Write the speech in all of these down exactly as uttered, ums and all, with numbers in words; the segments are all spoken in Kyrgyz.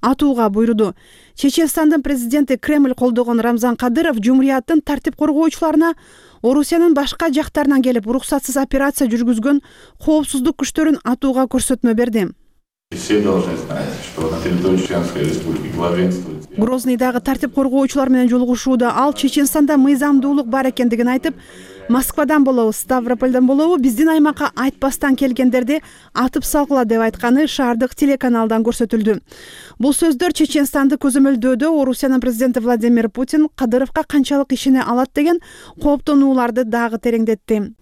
атууга буйруду. Чеченстандын президенти Кремль колдогон Рамзан Кадыров жумурияттын тартип коргоочуларына Орусиянын башка жактарынан келип уруксатсыз операция жүргүзгөн коопсуздук күчтөрүн атууга көрсөтмө берди. Все должны знать, что на территории Чеченской республики главенствует. Грозныйдагы тартип коргоочулар менен жолугушууда ал Чеченстанда мыйзамдуулук бар экендигин айтып, Москвадан болобу, Ставропольдон болобу биздин аймакка айтпастан келгендерди атып салгыла деп айтканы шаардык телеканалдан көрсөтүлдү. Бул сөздөр Чеченстанды көзөмөлдөөдө Орусиянын президенти Владимир Путин Кадыровго канчалык ишене алат деген кооптонууларды дагы тереңдетти.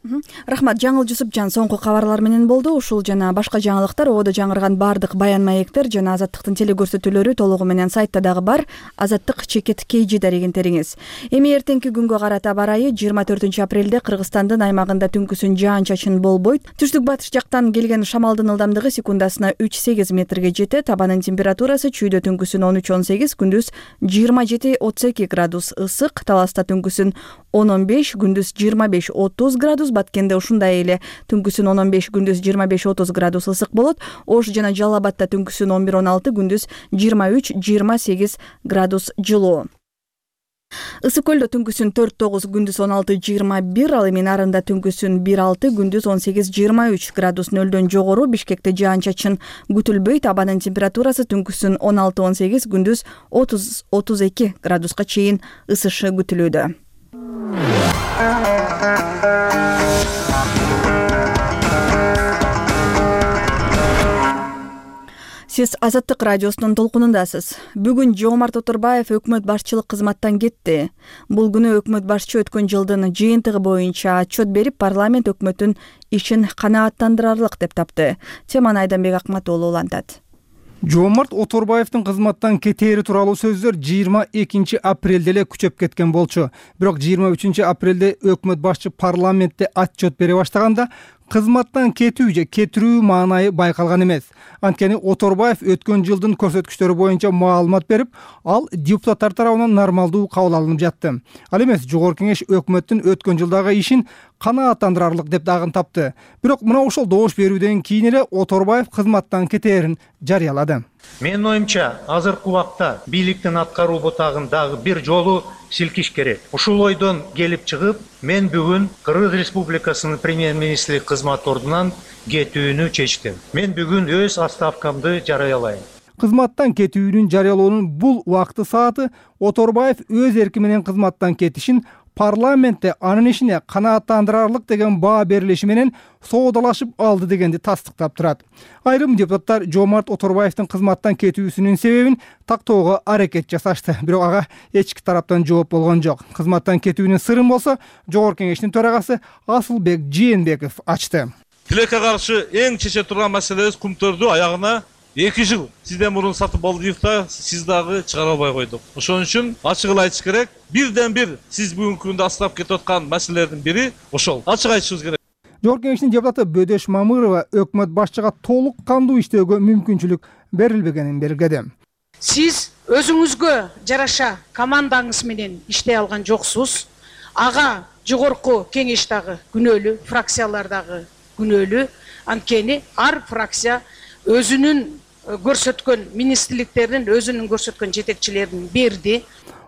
Рахмат, Жаңыл Жусупжан соңку кабарлар менен болду. Ушул жана башка жаңылыктар, ободо жаңырган бардык баян маектер жана Азаттыктын телекөрсөтүүлөрү толугу менен сайтта дагы бар. Азаттык чекит кейжи дарегентериңиз. Эми эртеңки күнгө карата барайы жыйырма төртүнчү апрелде Кыргызстандын аймагында түнкүсүн жаан-чачын болбойт. Түштүк батыш жактан келген шамалдын ылдамдыгы секундасына үч сегиз метрге жетет. Абанын температурасы чүйдө түнкүсүн он үч он сегиз, күндүз жыйырма жети отуз эки градус ысык, Таласта түнкүсүн он он беш, күндүз жыйырма беш отуз градус, Баткенде ушундай эле түнкүсүн он он беш, күндүз жыйырма беш отуз градус ысык болот. Ош жана Жалал Абадта түнкүсүн он бир он алты, күндүз жыйырма үч жыйырма сегиз градус жылуу. Ысык көлдө түнкүсүн төрт тогуз, күндүз он алты жыйырма бир, ал эми Нарында түнкүсүн бир алты, күндүз он сегиз жыйырма үч градус нөлдөн жогору. Бишкекте жаан-чачын күтүлбөйт. Абанын температурасы түнкүсүн он алты он сегиз, күндүз отуз отуз эки градуска чейин ысышы күтүлүүдө. Сиз Азаттык радиосунун толкунундасыз. Бүгүн Жомарт Оторбаев өкмөт башчылык кызматтан кетти. Бул күнү өкмөт башчы өткөн жылдын жыйынтыгы боюнча отчет берип, парламент өкмөттүн ишин канааттандырарлык деп тапты. Теманы Айданбек Акматоолу улантат. Жомарт Оторбаевдин кызматтан кетери тууралуу сөздөр жыйырма экинчи апрелде эле күчөп кеткен болчу. Бирок жыйырма үчүнчү апрелде өкмөт башчы парламентте отчет бере баштаганда кызматтан кетүү же кетирүү маанайы байкалган эмес. Анткени Оторбаев өткөн жылдын көрсөткүчтөрү боюнча маалымат берип, ал депутаттар тарабынан нормалдуу кабыл алынып жатты. Ал эмес, Жогорку Кеңеш өкмөттүн өткөн жылдагы ишин канааттандырарлык деп дагы тапты. Бирок мына ошол добуш берүүдөн кийин эле Оторбаев кызматтан кетээрин жарыялады. Менин оюмча, азыркы убакта бийликтин аткаруу бутагын дагы бир жолу силкиш керек. Ушул ойдон келип чыгып, мен бүгүн Кыргыз Республикасынын премьер-министри кызмат ордунан кетүүнү чечтим. Мен бүгүн өз отставкамды жарыялайм. Кызматтан кетүүнүн жарыялоонун бул убакты сааты Оторбаев өз эрки менен кызматтан кетишин парламентте анын ишине канааттандырарлык деген баа берилиши менен соодалашып алды дегенди тастыктап турат. Айрым депутаттар Жомарт Оторбаевдин кызматтан кетүүсүнүн себебин тактоого аракет жасашты, бирок ага эч эки тараптан жооп болгон жок. Кызматтан кетүүнүн сырын болсо Жогорку Кеңештин төрагасы Асылбек Жээнбеков ачты. Тилекке каршы эң чече турган маселебиз кумтөрдү аягына эки жыл сизден мурун сатып алдык да, сиз дагы чыгара албай койдук. Ошон үчүн ачык эле айтыш керек. Бирден бир сиз бүгүнкү күндө астап кетип аткан маселелердин бири ошол. Ачык айтышыбыз керек. Жогорку Кеңештин депутаты Бөдөш Мамырова өкмөт башчыга толук кандуу иштөөгө мүмкүнчүлүк берилбегенин белгиледи. Сиз өзүңүзгө жараша командаңыз менен иштей алган жоксуз. Ага Жогорку Кеңеш дагы күнөөлүү, фракциялар дагы күнөөлүү. Анткени ар фракция өзүнүн көрсөткөн министрликтердин, өзүнүн көрсөткөн жетекчилерин берди.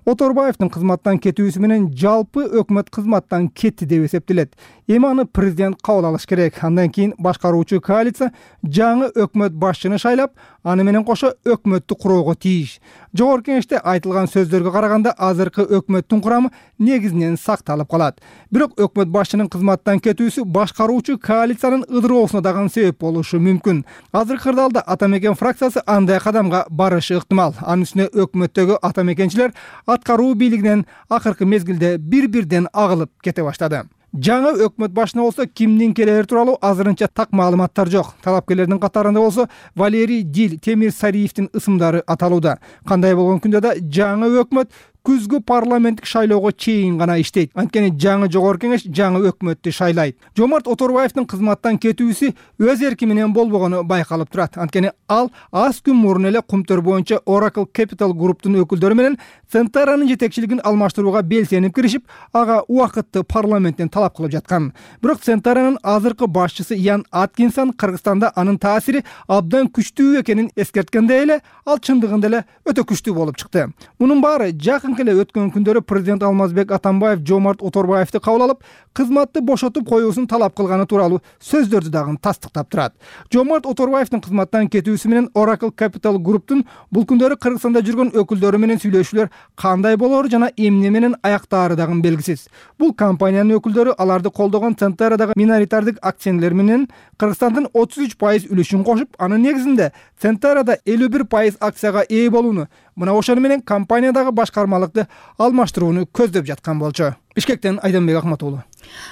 Оторбаевдин кызматтан кетүүсү менен жалпы өкмөт кызматтан кетти деп эсептелет. Эми аны президент кабыл алыш керек. Андан кийин башкаруучу коалиция жаңы өкмөт башчыны шайлап, аны менен кошо өкмөттү куроого тийиш. Жогорку Кеңеште айтылган сөздөргө караганда азыркы өкмөттүн курамы негизинен сакталып калат. Бирок өкмөт башчынын кызматтан кетүүсү башкаруучу коалициянын ыдыроосуна дагы себеп болушу мүмкүн. Азыркы кырдаалда Атамекен фракциясы андай кадамга барышы ыктымал. Анын үстүнө өкмөттөгү атамекенчилер аткаруу бийлигинен акыркы мезгилде бир-бирден агылып кете баштады. Жаңы өкмөт башына болсо кимдин келери тууралуу азырынча так маалыматтар жок. Талапкерлердин катарында болсо Валерий Дил, Темир Сариевдин ысымдары аталууда. Кандай болгон күндө да жаңы өкмөт күзгү парламенттик шайлоого чейин гана иштейт. Анткени жаңы жогорку кеңеш жаңы өкмөттү шайлайт. Жомарт Оторбаевдин кызматтан кетүүсү өз эрки менен болбогону байкалып турат. Анткени ал аз күн мурун эле Кумтөр боюнча Oracle Capital Group'тун өкүлдөрү менен Центаранын жетекчилигин алмаштырууга белсенип киришип, ага убакытты парламенттен талап кылып жаткан. Бирок Центаранын азыркы башчысы Ян Аткинсон Кыргызстанда анын таасири абдан күчтүү экенин эскерткенде эле ал чындыгында эле өтө күчтүү болуп чыкты. Мунун баары жакынкы эле өткөн күндөрү президент Алмазбек Атамбаев Жомарт Оторбаевди кабыл алып, кызматты бошотуп коюусун талап кылганы тууралуу сөздөрдү дагы тастыктап турат. Жомарт Оторбаевдин кызматтан кетүүсү менен Oracle Capital Group'тун бул күндөрү Кыргызстанда жүргөн өкүлдөрү менен сүйлөшүүлөр кандай болору жана эмне менен аяктаары дагы белгисиз. Бул компаниянын өкүлдөрү аларды колдогон Центарадагы миноритардык акционерлер менен Кыргызстандын отуз үч пайыз үлүшүн кошуп, анын негизинде Центарада элүү бир пайыз акцияга ээ болууну, мына ошону менен компаниядагы башкармалыкты алмаштырууну көздөп жаткан болчу. Бишкектен Айданбек Акматуулу.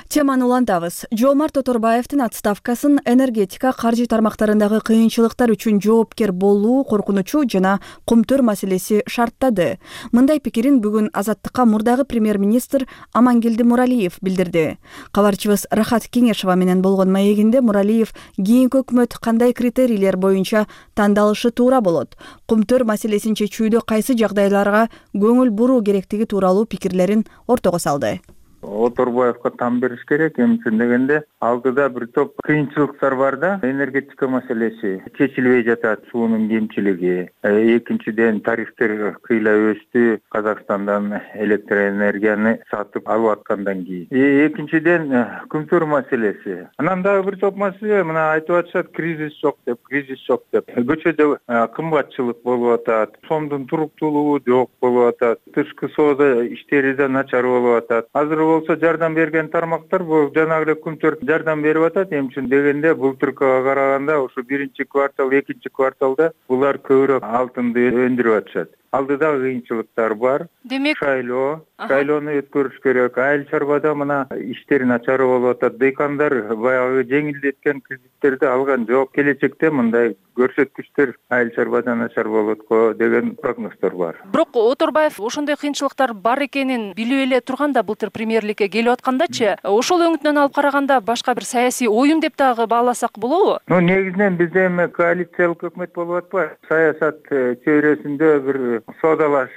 Теманы улантабыз. Жомарт Оторбаевдин отставкасын энергетика, каржы тармактарындагы кыйынчылыктар үчүн жоопкер болуу коркунучу жана Кумтөр маселеси шарттады. Мындай пикирин бүгүн Азаттыкка мурдагы премьер-министр Амангелди Муралиев билдирди. Кабарчыбыз Рахат Кеңешова менен болгон маегинде Муралиев кийинки өкмөт кандай критерийлер боюнча тандалышы туура болот, Кумтөр маселесин чечүүдө кайсы жагдайларга көңүл буруу керектиги тууралуу пикирлерин ортого салды. Оторбаевга там бериш керек. Эмне дегенде алдыда бир топ кыйынчылыктар бар да. Энергетика маселеси чечилбей жатат, суунун кемчилиги. Экинчиден тарифтер кыйла өстү, Казакстандан электроэнергияны сатып алып аткандан кийин. Экинчиден Кумтөр маселеси. Анан дагы бир топ маселе, мына айтып атышат, кризис жок деп, кризис жок деп. Көчөдө кымбатчылык болуп атат, сомдун туруктуулугу жок болуп атат, тышкы соода иштери да начар болуп атат. Азыр болсо жардам берген тармактар бул жанагы эле Кумтөр жардам берип атат. Эмчи дегенде былтыркыга караганда ушу биринчи квартал, экинчи кварталда булар көбүрөөк алтынды өндүрүп атышат. Алдыда кыйынчылыктар бар. Демек, шайлоо, шайлоону өткөрүш керек. Айыл чарбада мына иштер начар болуп атат. Дыйкандар баягы жеңилдеткен кредиттерди алган жок. Келечекте мындай көрсөткүчтөр айыл чарбада начар болот го деген прогноздор бар. Бирок Оторбаев ошондой кыйынчылыктар бар экенин билип эле турганда былтыр премьерликке келип аткандачы, ошол өңүтүнөн алып караганда башка бир саясий оюн деп дагы бааласак болобу? Ну, негизинен бизде эми коалициялык өкмөт болуп атпайбы? Саясат чөйрөсүндө бир соодалаш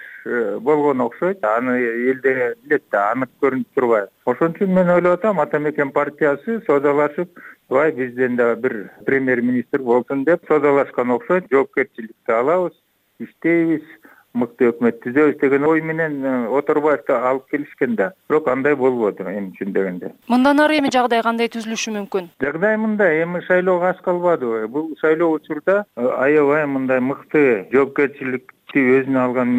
болгон окшойт. Аны элде билет да, анык көрүнүп турбайбы. Ошон үчүн мен ойлоп атам, Ата Мекен партиясы соодалашып, бай бизден да бир премьер-министр болсун деп соодалашкан окшойт. Жоопкерчиликти алабыз, иштейбиз, мыкты өкмөт түзөбүз деген ой менен Оторбаевди алып келишкен да. Бирок андай болбоду эми үчүн дегенде. Мындан ары эми жагдай кандай түзүлүшү мүмкүн? Жагдай мындай, эми шайлоого аз калбадыбы? Бул шайлоо учурда аябай мындай мыкты жоопкерчилик өзүнө алган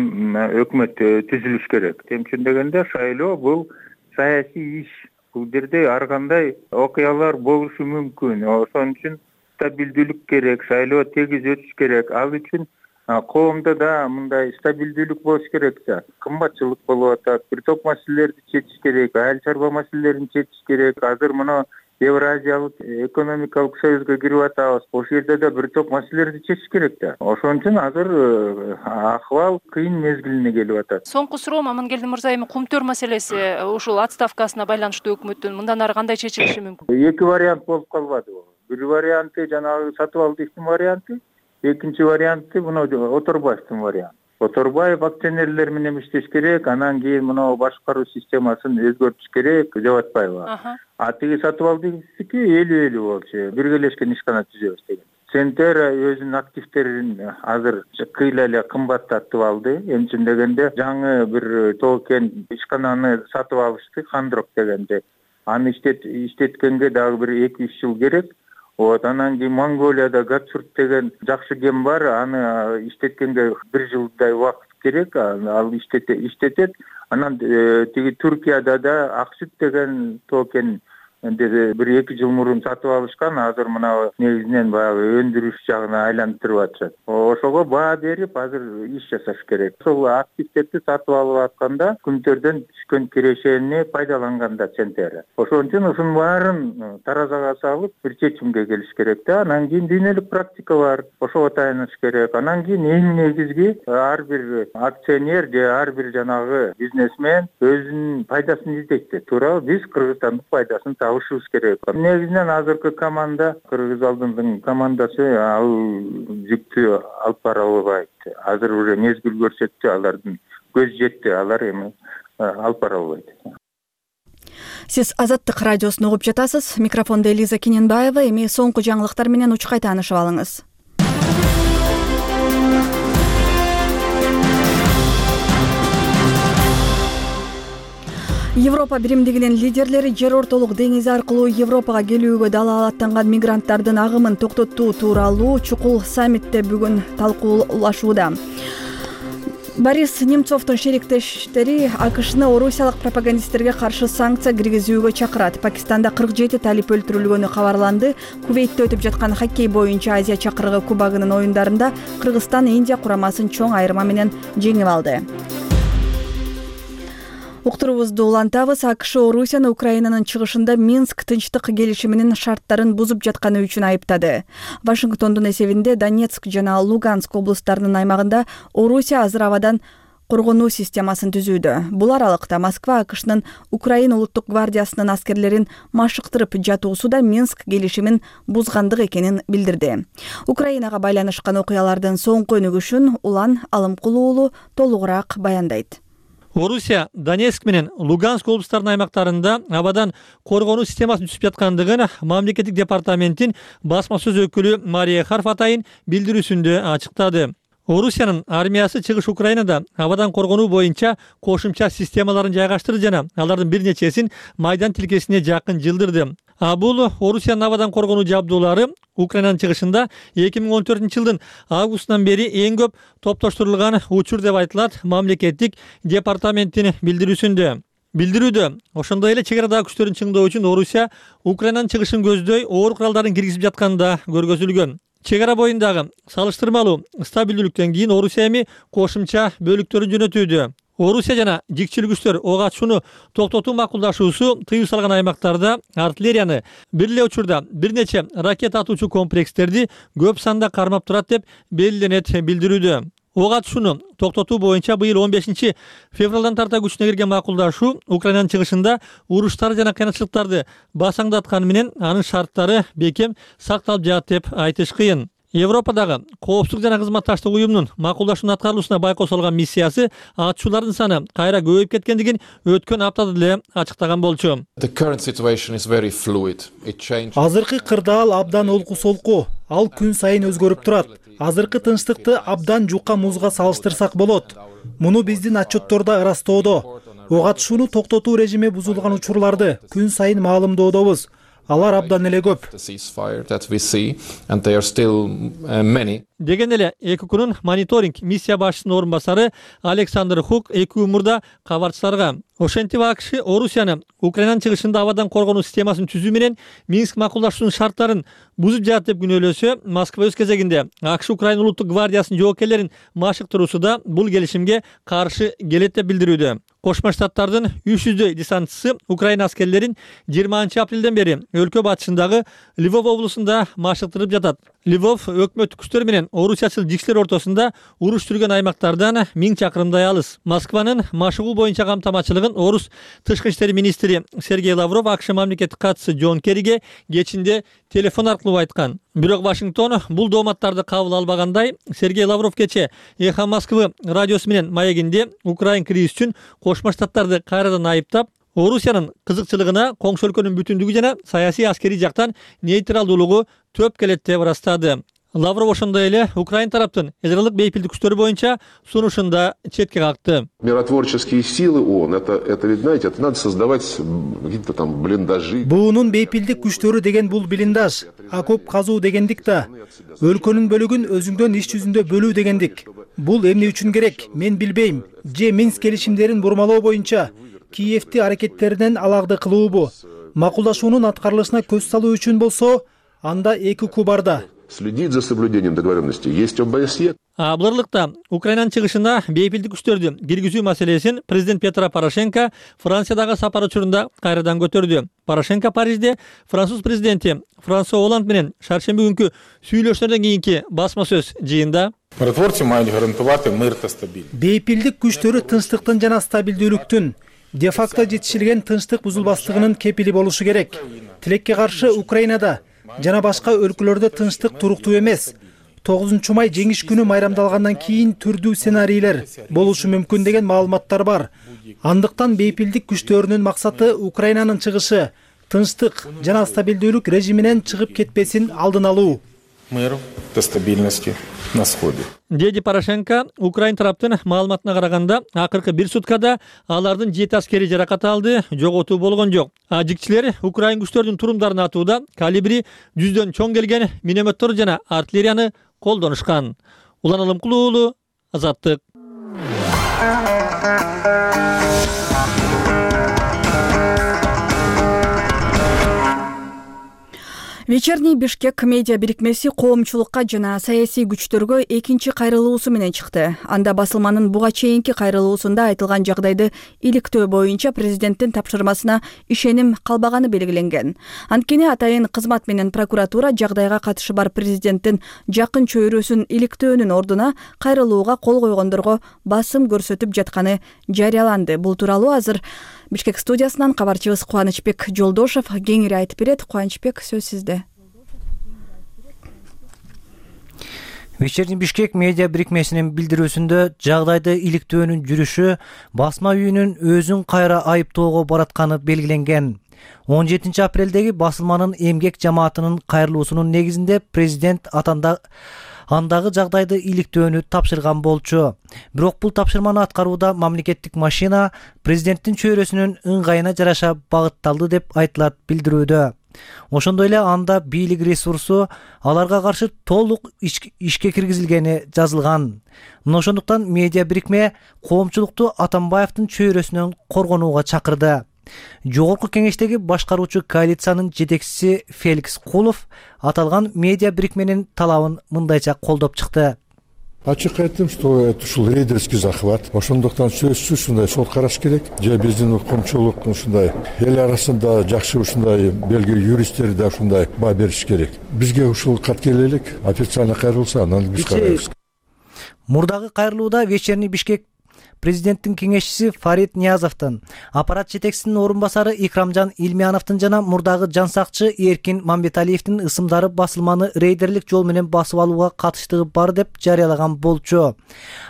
өкмөт түзүлүш керек. Эмчи дегенде шайлоо бул саясий иш. Бул жерде ар кандай окуялар болушу мүмкүн. Ошон үчүн стабилдүүлүк керек, шайлоо тегиз өтүш керек. Ал үчүн коомдо да мындай стабилдүүлүк болуш керек да. Кымбатчылык болуп атат, бир топ маселелерди чечиш керек, айыл чарба маселелерин чечиш керек. Азыр мына Евразиялык экономикалык союзга кирип атабыз. Ошол жерде да бир топ маселелерди чечиш керек да. Ошон үчүн азыр акыбал кыйын мезгилине келип атат. Соңку суроом Амангелди мырза, эми Кумтөр маселеси ушул отставкасына байланыштуу өкмөттүн мындан ары кандай чечилиши мүмкүн? Эки вариант болуп калбадыбы? Бир варианты жанагы сатып алдыктын варианты, экинчи варианты мына Оторбаевдин варианты. Оторбаев акционерлер менен иштеш керек, анан кийин мына башкаруу системасын өзгөртүш керек деп атпайбы? А тиги сатып алдыктыкы элүү элүү болчу, биргелешкен ишкана түзөбүз деген. Центера өзүнүн активдерин азыр кыйла эле кымбаттатып алды. Эмчи дегенде жаңы бир токен ишкананы сатып алышты, Хандрок дегенде. Аны иштеткенге дагы бир эки үч жыл керек. Вот, анан кийин Монголияда Гатчурт деген жакшы кен бар, аны иштеткенге бир жылдай убакыт керек, ал иштетет. Анан тиги Түркияда да Аксүт деген токен бир эки жыл мурун сатып алышкан, азыр мына негизинен баягы өндүрүш жагына айлантырып атышат. Ошого баа берип азыр иш жасаш керек. Ошол активдерди сатып алып атканда күнтөрдөн түшкөн кирешени пайдаланганда центр. Ошон үчүн ушунун баарын таразага салып бир чечимге келиш керек да. Анан кийин дүйнөлүк практика бар. Ошого таяныш керек. Анан кийин эң негизги ар бир акционер же ар бир жанагы бизнесмен өзүнүн пайдасын издейт. Туура, биз Кыргызстандын пайдасын табышыбыз керек. Негизинен азыркы команда, Кыргыз алдындын командасы ал жүктү алып бара албайт. Азыр уже мезгил көрсөттү, алардын көз жетти, алар эми алып бара албайт. Сиз Азаттык радиосун угуп жатасыз. Микрофондо Элиза Кененбаева. Эми соңку жаңылыктар менен учкай таанышып алыңыз. Европа биримдигинин лидерлери жер ортолук деңизи аркылуу Европага келүүгө далаалаттанган мигранттардын агымын токтотуу тууралуу чукул саммитте бүгүн талкуулашууда. Борис Немцовдун шериктештери АКШны орусиялык пропагандисттерге каршы санкция киргизүүгө чакырат. Пакистанда кырк жети талип өлтүрүлгөнү кабарланды. Кувейтте өтүп жаткан хоккей боюнча Азия чакырыгы кубогунун оюндарында Кыргызстан Индия курамасын чоң айырма менен жеңип алды. Уктуруубузду улантабыз. АКШ Орусияны Украинанын чыгышында Минск тынчтык келишиминин шарттарын бузуп жатканы үчүн айыптады. Вашингтондун эсебинде Донецк жана Луганск облустарынын аймагында Орусия азыр абадан коргонуу системасын түзүүдө. Бул аралыкта Москва АКШнын Украина улуттук гвардиясынын аскерлерин машыктырып жатуусу да Минск келишимин бузгандык экенин билдирди. Украинага байланышкан окуялардын соңку өнүгүшүн Улан Алымкулуу уулу толугураак баяндайт. Орусия Донецк менен Луганск облустарынын аймактарында абадан коргонуу системасын түзүп жаткандыгын мамлекеттик департаменттин басма сөз өкүлү Мария Харф атайын билдирүүсүндө ачыктады. Орусиянын армиясы чыгыш Украинада абадан коргонуу боюнча кошумча системаларын жайгаштырды жана алардын бир нечесин майдан тилкесине жакын жылдырды. А бул Орусиянын абадан коргонуу жабдуулары Украинанын чыгышында эки миң он төртүнчү жылдын августунан бери эң көп топтоштурулган учур деп айтылат мамлекеттик департаменттин билдирүүсүндө. Билдирүүдө ошондой эле чек арадагы күчтөрүн чыңдоо үчүн Орусия Украинанын чыгышын көздөй оор куралдарын киргизип жатканда көргөзүлгөн. Чек ара боюндагы салыштырмалуу стабилдүүлүктөн кийин Орусия эми кошумча бөлүктөрүн жөнөтүүдө. Орусия жана жикчил күчтөр ок атышууну токтотуу макулдашуусу тыюу салган аймактарда артиллерияны бир эле учурда бир нече ракета атуучу комплекстерди көп санда кармап турат деп белгиленет билдирүүдө. Ок атышууну токтотуу боюнча быйыл он бешинчи февралдан тарта күчүнө кирген макулдашуу Украинанын чыгышында уруштар жана кыйынчылыктарды басаңдатканы менен анын шарттары бекем сакталып жатат деп айтыш кыйын. Европадагы коопсуздук жана кызматташтык уюмунун макулдашуунун аткарылуусуна байкоо салган миссиясы атышуулардын саны кайра көбөйүп кеткендигин өткөн аптада деле ачыктаган болчу. Азыркы кырдаал абдан олку солку, ал күн сайын өзгөрүп турат. Азыркы тынчтыкты абдан жука музга салыштырсак болот. Муну биздин отчеттордо ырастоодо. Ок атышууну токтотуу режими бузулган учурларды күн сайын маалымдоодобуз. Алар абдан эле көп. Деген эле эки күнүн мониторинг миссия башчысынын орун басары Александр Хук эки күн мурда кабарчыларга ошентип АКШ Орусияны Украинанын чыгышында абадан коргонуу системасын түзүү менен Минск макулдашуунун шарттарын бузуп жатат деп күнөөлөсө, Москва өз кезегинде АКШ Украина улуттук гвардиясынын жоокерлерин машыктыруусу да бул келишимге каршы келет деп билдирүүдө. Кошмо Штаттардын үч жүздөй десантчысы Украина аскерлерин жыйырманчы апрелден бери өлкө батышындагы Львов облусунда машыктырып жатат. Львов өкмөттүк күчтөр менен орусиячыл жикчилер ортосунда уруш жүргөн аймактардан миң чакырымдай алыс. Москванын машыгуу боюнча камтамачылыгын орус тышкы иштер министри Сергей Лавров АКШ мамлекеттик катчысы Джон Керриге кечинде телефон аркылуу айткан. Бирок Вашингтон бул дооматтарды кабыл албагандай, Сергей Лавров кече Эхо Москвы радиосу менен маегинде Украин кризис үчүн Кошмо Штаттарды кайрадан айыптап, Орусиянын кызыкчылыгына коңшу өлкөнүн бүтүндүгү жана саясий аскерий жактан нейтралдуулугу төп келет деп ырастады. Лавров ошондой эле Украин тараптын ядролук бейпилдик күчтөрү боюнча сунушунда четке какты. Миротворческие силы ООН, это, это, ведь, знаете, это надо создавать какие-то там блиндажи. Буунун бейпилдик күчтөрү деген бул блиндаж, окоп казуу дегендик да. Өлкөнүн бөлүгүн өзүңдөн иш жүзүндө бөлүү дегендик. Бул эмне үчүн керек? Мен билбейм. Же Минск келишимдерин бурмалоо боюнча Киевти аракеттеринен аларды кылуубу? макулдашуунун аткарылышына көз салуу үчүн болсо анда эки укук бар да. Следить за соблюдением договоренности. Есть ОБСЕ. Буларлыкта Украинанын чыгышына бейпилдик күчтөрдү киргизүү маселесин президент Петро Порошенко Франциядагы сапар учурунда кайрадан көтөрдү. Порошенко Парижде француз президенти Франсуа Оланд менен шаршемби күнкү сүйлөшүүлөрдөн кийинки басма сөз жыйында миротворцы мають гарантувати мир та стабильність. Бейпилдик күчтөрү тынчтыктын жана стабилдүүлүктүн, де факто жетишилген тынчтык бузулбастыгынын кепили болушу керек. Тилекке каршы Украинада жана башка өлкөлөрдө тынчтык туруктуу эмес. тогузунчу май жеңиш күнү майрамдалгандан кийин түрдүү сценарийлер болушу мүмкүн деген маалыматтар бар. Андыктан бейпилдик күчтөрүнүн максаты Украинанын чыгышы тынчтык жана стабилдүүлүк режиминен чыгып кетпесин алдын алуу. Миру та стабильности на сходе. Деди Порошенко Украин тараптын маалыматына караганда акыркы бир суткада алардын жети аскери жаракат алды, жоготуу болгон жок. Ажикчилер Украин күчтөрүнүн турумдарын атууда калибри жүздөн чоң келген минометтор жана артиллерияны колдонушкан. Улан Алымкулуу уулу, Азаттык. Вечерний Бишкек медиа бирикмеси коомчулукка жана саясий күчтөргө экинчи кайрылуусу менен чыкты. Анда басылманын буга чейинки кайрылуусунда айтылган жагдайды иликтөө боюнча президенттин тапшырмасына ишеним калбаганы белгиленген. Анткени атайын кызмат менен прокуратура жагдайга катышы бар президенттин жакын чөйрөсүн иликтөөнүн ордуна кайрылууга кол койгондорго басым көрсөтүп жатканы жарыяланды. Бул тууралуу азыр Бишкек студиясынан кабарчыбыз Кубанычбек Жолдошов кеңири айтып берет. Кубанычбек, сөз сизде. Вечерний Бишкек медиа бирикмесинин билдирүүсүндө жагдайды иликтөөнүн жүрүшү басма үйүнүн өзүн кайра айыптоого баратканы белгиленген. он жетинчи апрелдеги басылманын эмгек жамаатынын кайрылуусунун негизинде президент атанда андагы жагдайды иликтөөнү тапшырган болчу. Бирок бул тапшырманы аткарууда мамлекеттик машина президенттин чөйрөсүнүн ыңгайына жараша багытталды деп айтылат билдирүүдө. Ошондой эле анда бийлик ресурсу аларга каршы толук ишке киргизилгени жазылган. Мына ошондуктан медиа бирикме коомчулукту Атамбаевдин чөйрөсүнөн коргонууга чакырды. Жогорку кеңештеги башкаруучу коалициянын жетекчиси Феликс Кулов аталган медиа бирикменин талабын мындайча колдоп чыкты. Ачык айттым, что это ушул рейдерский захват. Ошондуктан сөзсүз ушундай сот караш керек. Же биздин укмчулук ушундай эл арасында жакшы ушундай белгилүү юристтер да ушундай баа бериш керек. Бизге ушул кат келе элек, официально кайрылса, анан биз карайбыз. Мурдагы кайрылууда Вечерний Бишкек президенттин кеңешчиси Фарид Ниязовдун, аппарат жетекчисинин орун басары Икрамжан Илмияновдун жана мурдагы жансакчы Эркин Мамбеталиевдин ысымдары басылманы рейдерлик жол менен басып алууга катыштыгы бар деп жарыялаган болчу.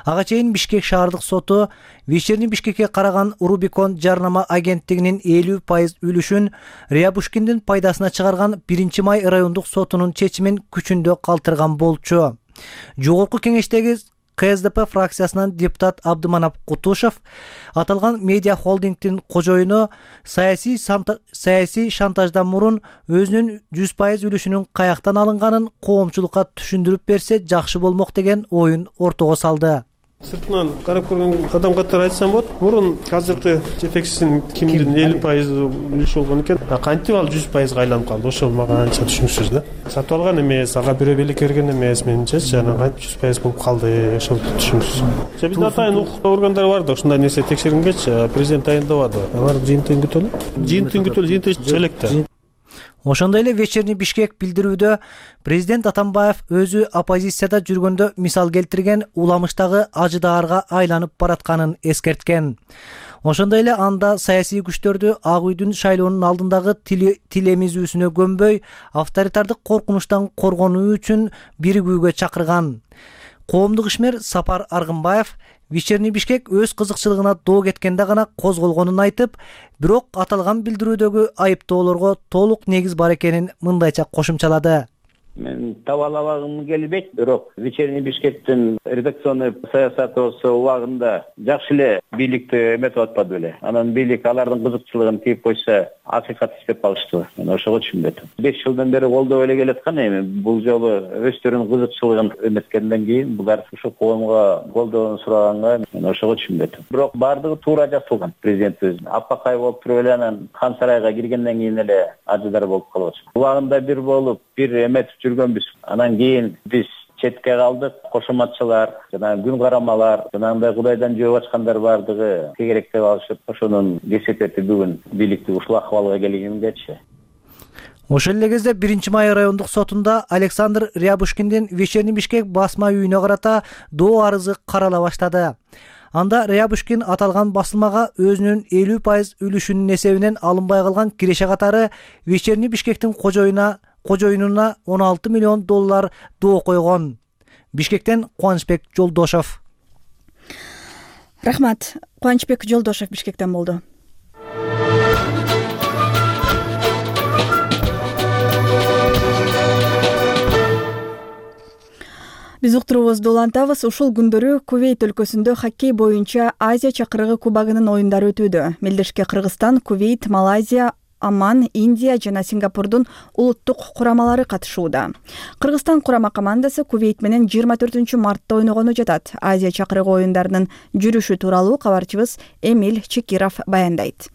Ага чейин Бишкек шаардык соту Вечерний Бишкекке караган Рубикон жарнама агенттигинин элүү пайыз үлүшүн Рябушкиндин пайдасына чыгарган биринчи май райондук сотунун чечимин күчүндө калтырган болчу. Жогорку кеңештеги КСДП фракциясынан депутат Абдыманап Кутушев аталган медиа холдингдин кожоюну саясий саясий шантаждан мурун өзүнүн жүз пайыз үлүшүнүн каяктан алынганын коомчулукка түшүндүрүп берсе жакшы болмок деген оюн ортого салды. Сыртынан карап көргөн адам катары айтсам болот. Мурун азыркы жетекчисинин кимдин элүү пайыз үлүшү болгон экен. Кантип ал жүз пайызга айланып калды? Ошол мага анча түшүнүксүз да. Сатып алган эмес, ага бирөө белек берген эмес, менимче жана кантип жүз пайыз болуп калды? Ошол түшүнүксүз. Бизде атайын укук органдары бар да, ушундай нерсе текшерингечи президент дайындабады. Алар жыйынтыгын күтөлү. Жыйынтыгын күтөлү, жыйынтыгы чыга элек да. Ошондой эле Вечерний Бишкек билдирүүдө президент Атамбаев өзү оппозицияда жүргөндө мисал келтирген уламыштагы ажыдаарга айланып баратканын эскерткен. Ошондой эле анда саясий күчтөрдү Ак үйдүн шайлоонун алдындагы тил эмизүүсүнө көмбөй, авторитардык коркунучтан коргонуу үчүн биригүүгө чакырган. Коомдук ишмер Сапар Аргынбаев Вечерний Бишкек өз кызыкчылыгына доо кеткенде гана козголгонун айтып, бирок аталган билдирүүдөгү айыптоолорго толук негиз бар экенин мындайча кошумчалады. Мен табалабагым келбейт, бирок вечерний Бишкектин редакционный саясаты убагында жакшы эле бийликти эметип атпады беле. Анан бийлик алардын кызыкчылыгын тийип койсо, акыйкат иштеп калышты. Мен ошого түшүнбөйт. беш жылдан бери колдоп эле келаткан эми бул жолу өздөрүнүн кызыкчылыгын эметкенден кийин булар ушу коомго колдоонун сураганга мен ошого түшүнбөйт. Бирок бардыгы туура жасалган. Президент өзү аппакай болуп туруп эле анан хан сарайга киргенден кийин эле ажыдар болуп калып атат. Убагында бир болуп, бир эметип жүргөнбүз. Анан кийин биз четке калдык. Кошоматчылар жана күн карамалар, жанагындай Кудайдан жөө ачкандар бардыгы тегерек деп алышып, ошонун кесепети бүгүн бийликти ушул акыбалга келгендечи. Ошол эле кезде биринчи май райондук сотунда Александр Рябушкиндин Вечерний Бишкек басма үйүнө карата доо арызы карала баштады. Анда Рябушкин аталган басылмага өзүнүн элүү пайыз үлүшүнүн эсебинен алынбай калган киреше катары Вечерний Бишкектин кожоюна кожоюнуна он алты миллион доллар доо койгон. Бишкектен Кубанычбек Жолдошов. Рахмат. Кубанычбек Жолдошов Бишкектен болду. Биз уктуруубузду улантабыз. Ушул күндөрү Кувейт өлкөсүндө хоккей боюнча Азия чакырыгы кубогунун оюндары өтүүдө. Мелдешке Кыргызстан, Кувейт, Малайзия, Оман, Индия жана Сингапурдун улуттук курамалары катышууда. Кыргызстан курама командасы Кувейт менен жыйырма төртүнчү мартта ойногону жатат. Азия чакырыгы оюндарынын жүрүшү тууралуу кабарчыбыз Эмиль Чекиров баяндайт.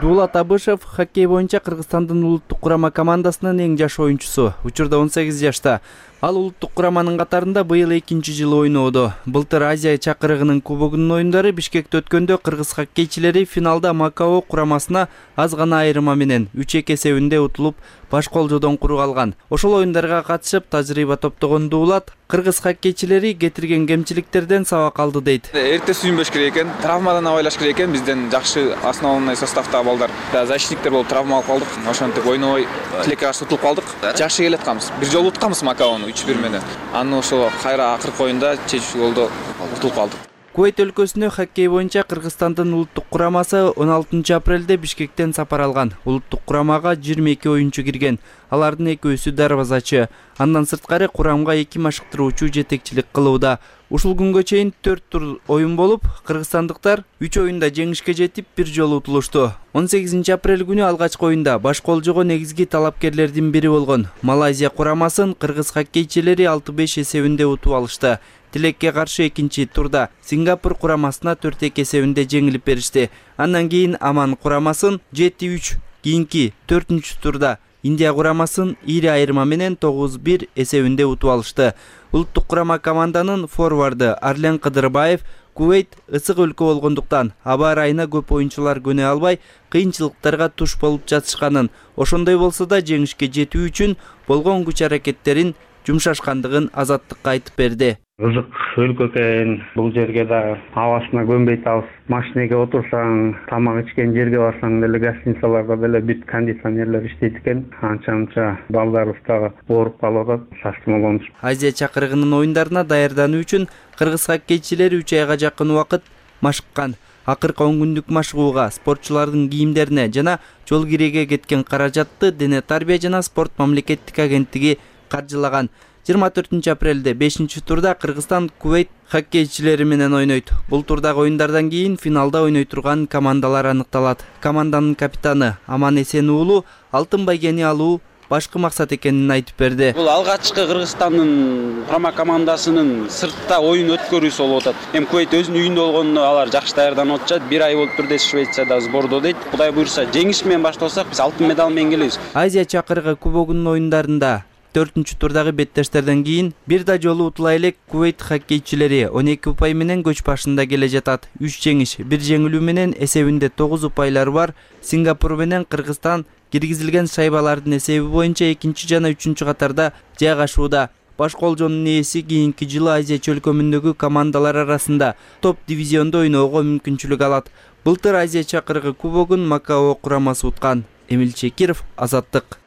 Дулат Абышев хоккей боюнча Кыргызстандын улуттук курама командасынын эң жаш оюнчусу. Учурда он сегиз жашта. Ал улуттук кураманын катарында быйыл экинчи жылы ойноодо. Былтыр Азия чакырыгынын кубогунун оюндары Бишкекте өткөндө кыргыз хоккейчилери финалда Макао курамасына аз гана айырма менен үч эки эсебинде утулуп, баш колжодон курук алган. Ошол оюндарга катышып тажрыйба топтогон Дулат кыргыз хоккейчилери кетирген кемчиликтерден сабак алды дейт. Эрте сүйүнбөш керек экен, травмадан абайлаш керек экен. Бизден жакшы основной составта балдар, защитниктер болуп травма алып калдык. Ошентип ойнобой тилекке каршы утулуп калдык. Жакшы келатканбыз. Бир жолу утканбыз Макаону үч бир менен. Аны ошо кайра акыркы оюнда чечүүчү голдо утулуп калдык. Кувейт өлкөсүнө хоккей боюнча Кыргызстандын улуттук курамасы он алтынчы апрелде Бишкектен сапар алган. Улуттук курамага жыйырма эки оюнчу кирген. Алардын экөөсү дарбазачы. Андан сырткары курамга эки машыктыруучу жетекчилик кылууда. Ушул күнгө чейин төрт тур оюн болуп, кыргызстандыктар үч оюнда жеңишке жетип, бир жолу утулушту. он сегизинчи апрель күнү алгачкы оюнда баш колжого негизги талапкерлердин бири болгон Малайзия курамасын кыргыз хоккейчилери алты беш эсебинде утуп алышты. Тилекке каршы экинчи турда Сингапур курамасына төрт эки эсебинде жеңилип беришти. Андан кийин Оман курамасын жети үч, кийинки төртүнчү турда Индия курамасын ири айырма менен тогуз бир эсебинде утуп алышты. Улуттук курама команданын форварды Арлен Кыдырбаев Кувейт ысык өлкө болгондуктан аба ырайына көп оюнчулар көнө албай, кыйынчылыктарга туш болуп жатышканын, ошондой болсо да жеңишке жетүү үчүн болгон күч аракеттерин жумшашкандыгын Азаттыкка айтып берди. Ызык өлкө экен, бул жерге да абасына көнбөйт алыс. Машинеге отурсаң, тамак ичкен жерге барсаң деле гостиницаларда деле бүт кондиционерлер иштейт экен. Анча-анча балдарыбыз дагы ооруп калып атат, састымолонуш. Азия чакырыгынын оюндарына даярдануу үчүн кыргыз хоккейчилери үч айга жакын убакыт машыккан. Акыркы он күндүк машыгууга спортчулардын кийимдерине жана жол киреге кеткен каражатты Дене тарбия жана спорт мамлекеттик агенттиги каржылаган. жыйырма төртүнчү апрелде бешинчи турда Кыргызстан Кувейт хоккейчилери менен ойнойт. Бул турдагы оюндардан кийин финалда ойной турган командалар аныкталат. Команданын капитаны Аман Эсен уулу алтын байгени алуу башкы максат экенин айтып берди. Бул алгачкы Кыргызстандын курама командасынын сыртта оюн өткөрүүсү болуп атат. Эми Кувейт өзүнүн үйүндө болгондо алар жакшы даярданып атышат. Бир ай болуп турду Швецияда сбордо дейт. Кудай буйрса жеңиш менен баштасак, биз алтын медаль менен келебиз. Азия чакырыгы кубогунун оюндарында төртүнчү турдагы беттештерден кийин бир да жолу утула элек Кувейт хоккейчилери он эки упай менен көч башында келе жатат. үч жеңиш, бир жеңилүү менен эсебинде тогуз упайлары бар. Сингапур менен Кыргызстан киргизилген шайбалардын эсеби боюнча экинчи жана үчүнчү катарда жайгашууда. Баш колжонун ээси кийинки жылы Азия чөлкөмүндөгү командалар арасында топ дивизиондо ойноого мүмкүнчүлүк алат. Былтыр Азия чакырыгы кубогун Макао курамасы уткан. Эмиль Чекиров, Азаттык.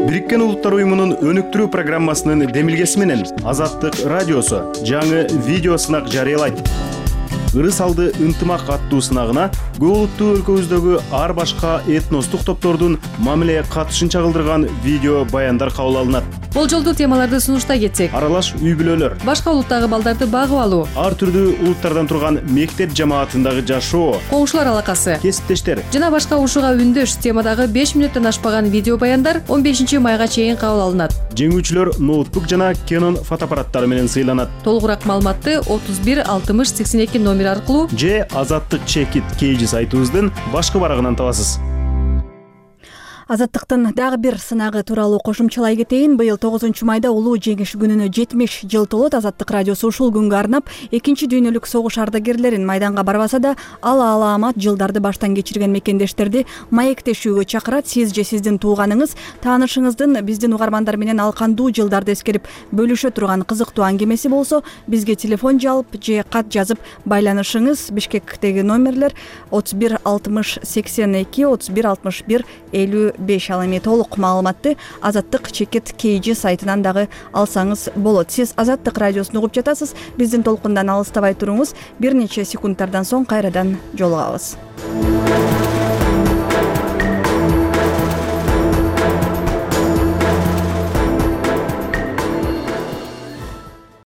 Бириккен Улуттар уюмунун өнүктүрүү программасынын демилгеси менен Азаттык радиосу жаңы видео сынак жарыялайт. ырыс алды ынтымак аттуу сынагына көп улуттуу өлкөбүздөгү ар башка этностук топтордун мамилеге катышын чагылдырган видео баяндар кабыл алынат. Болжолдуу темаларды сунуштай кетсек, аралаш үй бүлөлөр, башка улуттагы балдарды багып алуу, ар түрдүү улуттардан турган мектеп жамаатындагы жашоо, коңшулар алакасы, кесиптештер жана башка ушуга үндөш темадагы беш мүнөттөн ашпаган видео баяндар он бешинчи майга чейин кабыл алынат. Жеңүүчүлөр ноутбук жана Canon фотоаппараттары менен сыйланат. Толугураак маалыматты отуз бир алтымыш сексен эки номер аркылуу же Азаттык Чекит Кейжи сайтыбыздын башкы барагынан табасыз. Азаттыктын дагы бир сынагы тууралуу кошумчалай кетейин. Быйыл тогузунчу майда улуу жеңиш күнүнө жетимиш жыл толот. Азаттык радиосу ушул күнгө арнап экинчи дүйнөлүк согуш ардагерлерин майданга барбаса да ала алаамат жылдарды баштан кечирген мекендештерди маектешүүгө чакырат. Сиз же сиздин тууганыңыз, таанышыңыздын биздин угармандар менен ал кандуу жылдарды эскерип бөлүшө турган кызыктуу аңгемеси болсо, бизге телефон жалп же кат жазып байланышыңыз. Бишкектеги номерлер отуз бир алтымыш сексен эки отуз бир алтымыш бир элүү беш. Ал эми толук маалыматты Азаттык Чекит Кейжи сайтынан дагы алсаңыз болот. Сиз Азаттык радиосун угуп жатасыз. Биздин толкундан алыстабай туруңуз. Бир нече секундтардан соң кайрадан жолугабыз.